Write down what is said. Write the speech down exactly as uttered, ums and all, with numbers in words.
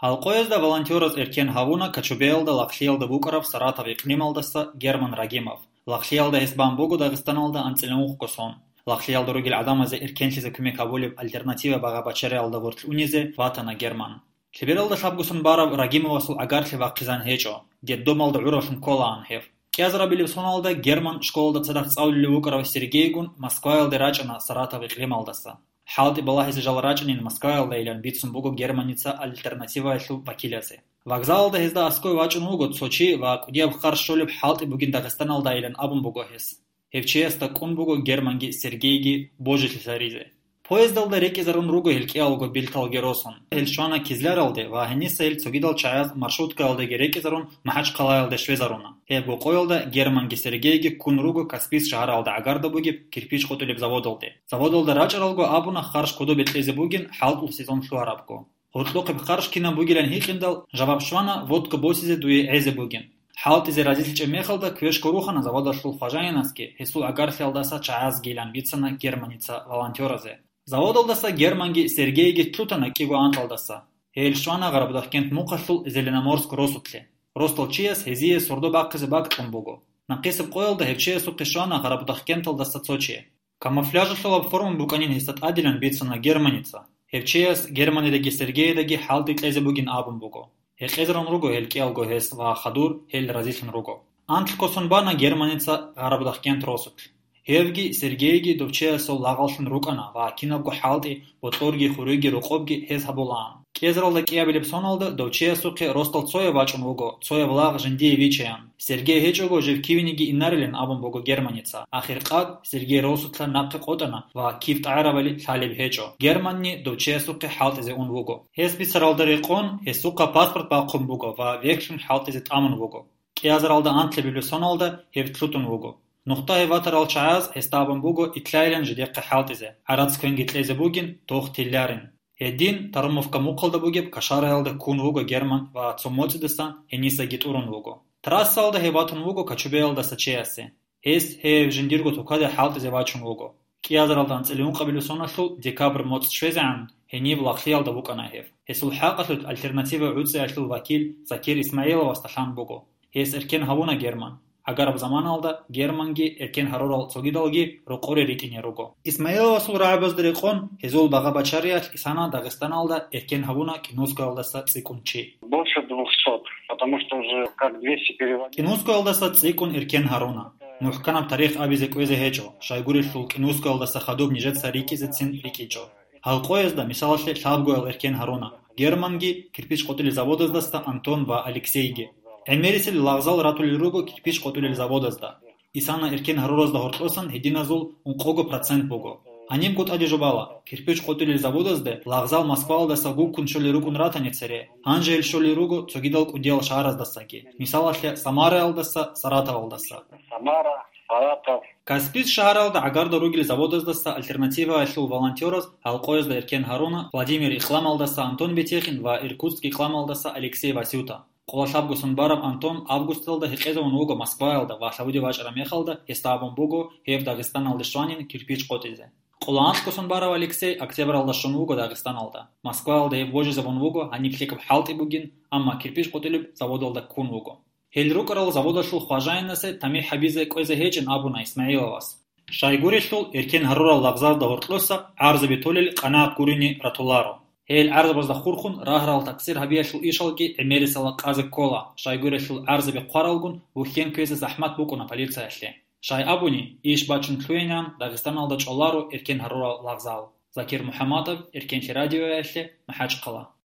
Гьалкъоязда волонтераз эркен гьавуна Кочубеялда лагълъиялда букӀараб Саратов икълималдаса Герман Рагимов. Лагълъиялда гьес бан буго Дагъистаналда анцӀила ункъго сон. Лагълъиялда ругел гӀадамазе эркенлъизе кумек гьабулеб «Альтернатива» багъа-бачариялда гъорлъ унизе ватана Герман. Лъебералда лъабго сон бараб Рагимовасул гӀагарлъи вахъизан гьечӀо, детдомалда гӀураллъун кколаан гьев. КӀиазарабилеб соналда Герман школалда цадахъ цӀалулев вукӀарав Сергейгун Москваялде рачӀана Саратов икълималдаса. ХӀалтӀи балагьизе жал рачӀанин Москваялдайилан бицун буго Германица «Альтернативаялъул» вакилазе. Вокзалалда гьезда аскӀове вачӀун вуго цо чи ва кӀудияб харж щолеб хӀалтӀи бугин Дагъистаналдайилан абун буго гьес. Гьев чиясда кӀун буго Германги Сергейги божилъи саризе. Поездалда рекӀизарун руго гьел кӀиялго берталги росун. Гьел щвана Кизляралде ва гьениса гьел цогидал чагӀаз маршруткаялдаги рекӀизарун МахӀачхъалаялде щвезаруна. Гьеб къоялда Германги Сергейги ккун руго Каспийск шагьаралда гӀагарда бугеб кирпич къотӀулеб заводалде. Заводалда рачӀаралго абуна харж кодобе кьезе бугин хӀалтӀул сезон лъугьарабго. Гьоркьохъеб харж кинаб бугилан гьикъиндал, жаваб щвана водка босизе дуе гӀезе бугин. ХӀалтӀизе разилъичӀеб мехалда квешго рухана заводалъул хважаинасги, гьесул гӀагарлъиялдаса чагӀазгийилан бицана Германица волонтёразе. Заводалдаса Германги Сергейги лъутана кӀиго анкьалдаса. Гьел щвана Гъарабудахкент мухъалъул Зеленоморск росулъе. Росдал чияс гьезие сордо бахъизе бакӀ кьун буго. Нахъисеб къоялда гьев чиясухъе щвана Гъарабудахкенталдаса цо чи. Камуфляжалъулаб форма букӀанин гьесда тӀадилан бицана Германица. Гьев чияс Германидаги Сергейидаги хӀалтӀи кьезе бугин абун буго. Гьекъезарун руго гьел кӀиялго гьес ва хадур гьел разилъун руго. Анкь косун бана Германица Гъарабудахкент росулъ. Гьевги Сергейги дов чиясул лагъаллъун рукӀана ва кинабго хӀалтӀи, бокьорги, хуриги, рокъобги гьез гьабулаан. КӀиазаралда кӀиабилеб соналда дов чиясухъе росдал цояв вачӀун вуго, цояб лагъ жиндие вичаян. Сергей гьечӀого жив кивениги инарилан абун буго Германица. Ахиркъад Сергей росулъа нахъе къотӀана ва кив тӀагӀарабали лъалеб гьечӀо. Германни дов чиясухъе хӀалтӀизе ун вуго. Гьес бицаралда рекъон, гьесухъа паспорт бахъун буго ва вехьлъун хӀалтӀизе тӀамун вуго. КӀиазаралда анкьабилеб соналда гьев лъутун вуго. Нухда гьев ватарал чагӀаз гьесда абун буго итлъайилан жидехъе хӀалтӀизе, гӀарац квенги кьезе бугин, тох тилларин. Гьедин Тарумовка мухъалда бугеб кашараялда ккун вуго Герман ва цо моцӀидасан гьенисаги тӀурун вуго. Трассаялда гьев ватун вуго Кочубеялдаса чиясе. Гьес гьев жиндирго тукаде хӀалтӀизе вачун вуго. КӀиазаралда анцӀила ункъабилеб соналъул декабрь моцӀ щвезегӀан гьениб лагълъиялда букӀана гьев. Гьесул хӀакъалъулъ «Альтернатива» гӀуцӀиялъул вакил Закир Исмаиловасда лъан буго. Гьес эркен гьавуна Герман. ГӀагараб заманалда Германги эркен гьарурал цогидалги рокъоре ритӀине руго. Исмаиловасул рагӀабазда рекъон, гьезул багъа-бачариялъ исана Дагъистаналда эркен гьавуна КӀинускоялдаса цӀикӀкӀун чи. Больше двухсот, потому что уже как двести переводить. КӀинускоялдаса цӀикӀкӀун эркен гьаруна. МухӀканаб тарих абизе кӀвезе гьечӀо, щайгурелъул КӀинускоялдаса хадуб нижеца рикӀкӀизецин рикӀкӀинчӀо. Гьалкъоязда, мисалалъе, лъабгоял эркен гьаруна. Германги кирпич къотӀулел заводаздаса Антон ва Алексейги. ГӀемерисел лагъзал ратулел руго кирпич къотӀулел заводазда. Исана эркен гьаруразда гьоркьосан гьединазул ункъого процент буго. Гьанибго тӀаде жубала, кирпич къотӀулел заводазде лагъзал Москваялдаса гуккун щолел рукӀун ратани цере, гьанже гьел щолел руго цогидал кӀудиял шагьараздасаги, мисалалъе, Самараялдаса, Саратовалдаса. Самара, Саратов. Каспийск шагьаралда гӀагарда ругел заводаздаса «Альтернативаялъул» волонтераз гьалкъоязда эркен гьаруна Владимир икълималдаса Антон Бетехин ва Иркутск икълималдаса Алексей Васюта. Къоло лъабго сон бараб Антон августалда гьекъезавун вуго Москваялда ва лъабуде вачӀараб мехалда гьесда абун буго гьев Дагъистаналде щванин кирпич къотӀизе. Къоло анкьго сон барав Алексей октябралда щун вуго Дагъистаналда. Москваялда гьев вожизабун вуго гьаниб лъикӀаб хӀалтӀи бугин, амма кирпич къотӀулеб заводалда ккун вуго. Гьел рукӀарал заводалъул хважаинасе тамихӀ гьабизе кӀвезе гьечӀин абуна Исмаиловас. Щайгурелъул, эркен гьарурал лагъзалда гьоркьоса гӀарзаби толел къанагӀат гурине ратуларо. Гьел гӀарзабазда хурхун рагьарал такъсир гьабиялъул ишалги гӀемерисела къазе ккола, щайгурелъул гӀарзаби хъваралгун бухьен кквезе захӀмат букӀуна полициялъе. Щай абуни, иш бачун лъугӀинегӀан Дагъистаналда чӀоларо эркен гьарурал лагъзал. Закир МухӀаммадов, Эркенлъи радиоялъе, МахӀачхъала.